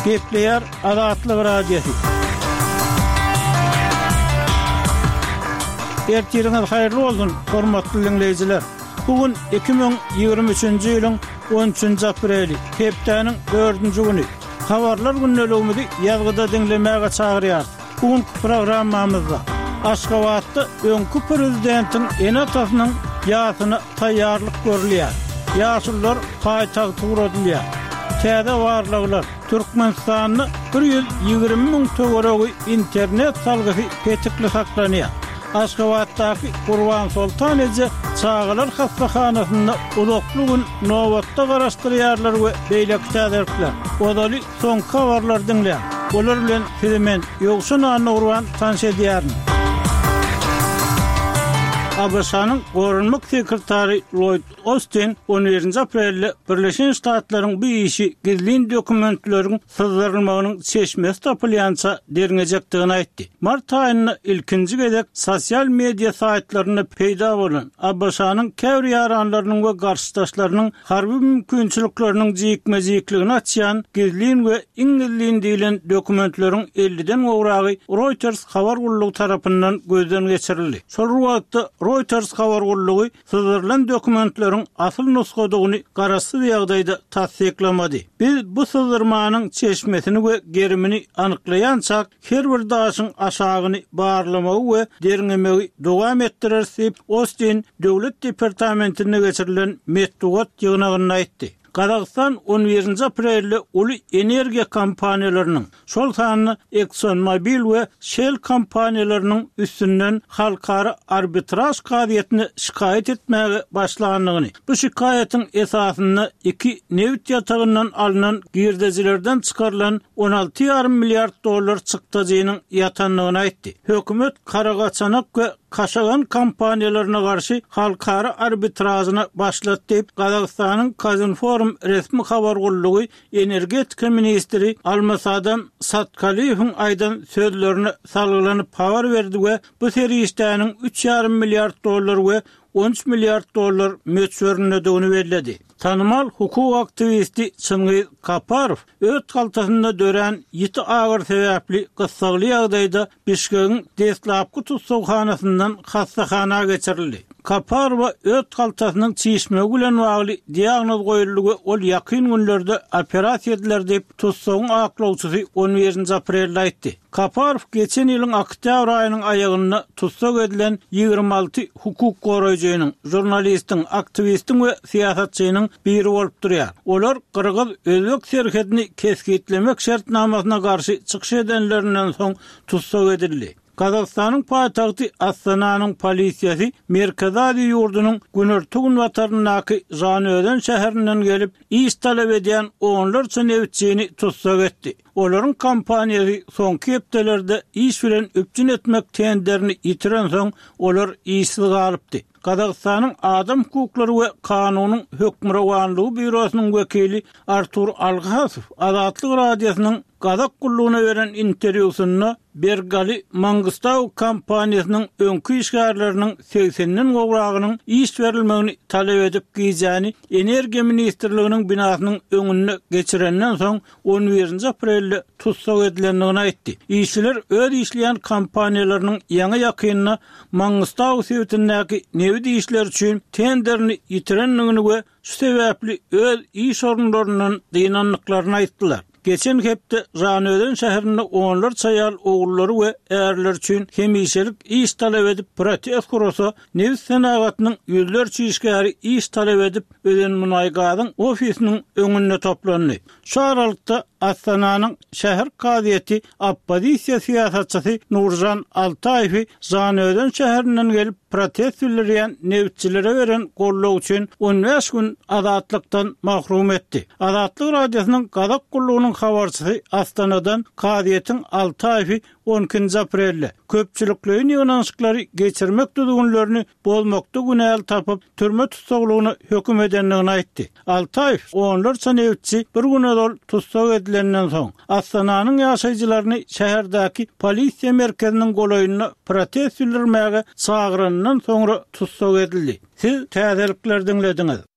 Gepleýär Azatlyk Radiosy. Ertiriňiz haýyrly bolsun, hormatly diňleýjiler! Bu gün 2023-nji ýylyň 13-nji apreli, hepdäniň dördünji güni. Habarlar gündeligimizi ýazgyda diňlemäge çagyrýarys. Bu günki programmamyzda Aşgabatda öňki prezidentiň ene-atasynyň ýasyna taýýarlyk görülýär. Ýaşulular paýtagta ugradylýar. Täze barlaglar, Türkmenistanda 120 müň töweregi internet salgysy petikli saklanýar. Aşgabatdaky Gurbansoltan eje çagalar hassahanasynda uzakly gün nobatda garaşdyrýarlar we beýleki täzelikler. Ozaly soňky habarlary diňläň. Olar bilen sizi men, Ýowşan Annagurban tanyş edýärin. ABŞ-nyň Goranmak sekretary Lloýd Ostin on birinji aprelde Birleşen Ştatlaryň bu işi gizlin dokumentleriň syzdyrylmagynyň çeşmesi tapylýança derňejekdigini aýtdy. Mart aýynda ilkinji gezek sosial media saýtlarynda peýda bolan ABŞ-nyň käbir ýaranlarynyň we garşydaşlarynyň harby mümkinçilikleriniň jikme-jikligini açýan gizlin we iň gizlin diýlen dokumentleriň elliden gowragy Reuters habar gullugy tarapyndan gözden geçirildi. Şol bir wagtda, Reuters habar gullugy syzdyrylan dokumentleriň asyl nusgadygyny garaşsyz ýagdaýda tassyklamady. Biz bu syzdyrmanyň çeşmesini we gerimini anyklaýançak, her bir daşyň aşagyny barlamagy we derňemegi dowam etdireris diýip, Ostin Döwlet departamentinde geçirilen metbugat ýygnagynda aýtdy. Gazagystan on birinji aprelde uly energiýa kompaniýalarynyň, şol sanda ExxonMobil we Shell kompaniýalarynyň üstünden halkara arbitraž kazyýetine şikaýat etmäge başlandygyny, bu şikaýatyň esasynda iki nebit ýatagyndan alnan girdejilerden çykarylan 16 ýarym milliard dollar çykdajynyň ýatandygyny aýtdy. Hökümet Karagaçanak we Kaşagan kompaniýalaryna garşy halkara arbitražyny başlatdy diýip, Gazagystanyň Kazinform resmi habar gullugy energetika ministri Almasadam Satkaliýewiň aýdan sözlerine salgylanyp habar berdi we bu serişdäniň üç ýarym milliard dollar we 13 milliard dollar möçberindedigini belledi. Tanymal hukuk aktiwisti Çingiz Kaparow öt haltasynda dörän ýiti agyry sebäpli gyssagly ýagdaýda Bişkegiň deslapky tussaghanasyndan hassahana geçirildi. Kaparowa öt haltasynyň çişmegi bilen bagly diagnoz goýuldy we ol ýakyn günlerde operasiýa ediler diýip, tussagyň aklawçysy on birinji aprelde aýtdy. Kaparow geçen ýylyň oktýabr aýynyň aýagynda tussag edilen 26 hukuk goraýjynyň, žurnalistiň, aktiwistiň we syýasatçynyň biri bolup durýar. Olar gyrgyz-özbek serhedini kesgitlemek şertnamasyna garşy çykyş edenlerinden soň tussag edildi. Gazagystanyň paýtagty Astananyň polisiýasy Merkezi Aziýa ýurdunyň günorta-günbataryndaky Žanaözen şäherinden gelip, iş talap edýän onlarça nebitçini tussag etdi. Olaryň kompaniýasy soňky hepdelerde iş bilen üpjün etmek tenderini ýitirensoň, olar işsiz galypdy. Gazagystanyň Adam hukuklary we kanunyň hökmürowanlygy býurosynyň wekili Artur Algasow Azatlyk Radiosynyň Gazak gullugyna beren interwýusynda Bergali Mangystau kompaniýasynyň öňki işgärleriniň segsenden gowragynyň iş berilmegini talap edip gijäni Energiýa ministrliginiň binasynyň öňünde geçirenden soň on birinji aprelde tussag edilendigini aýtdy. Işçiler öz işleýän kompaniýalarynyň ýaňy-ýakynda Mangystau sebitindäki nebit işleri üçin tenderini ýitirendigini we şu sebäpli öz iş orunlaryndan dynandyklaryny aýtdylar. Geçen hepde Žanaözen şäherinde onlarça aýal ogullary we ärleri üçin hemişelik iş talap edip protest gurasa, nebit senagatynyň ýüzlerçe işgäri iş talap edip Özenmunaýgazyň ofisiniň öňünde toplandy. Şu aralykda, Astananyň şäher kazyýeti oppozisiýa syýasatçysy Nuržan Altaýewi Žanaözen şäherinden gelip protest bildirýän nebitçilere beren goldawy üçin 15 gün azatlykdan mahrum etdi. Azatlyk Radiosynyň Gazak gullugynyň habarçysy Astanadan kazyýetiň Altaýewi on ikinji aprelde köpçülikleýin ýygnanyşyklary geçirmek düzgünlerini bozmakda günäli tapyp, türme tussaglygyna höküm edendigini aýtdy. Altaýew onlarça nebitçi bir gün ozal tussag edilenden soň, Astananyň ýaşaýjylaryny şäherdäki polisiýa merkeziniň golaýynda protest bildirmäge çagyranyndan soňra tussag edildi. Siz täzelikleri diňlediňiz.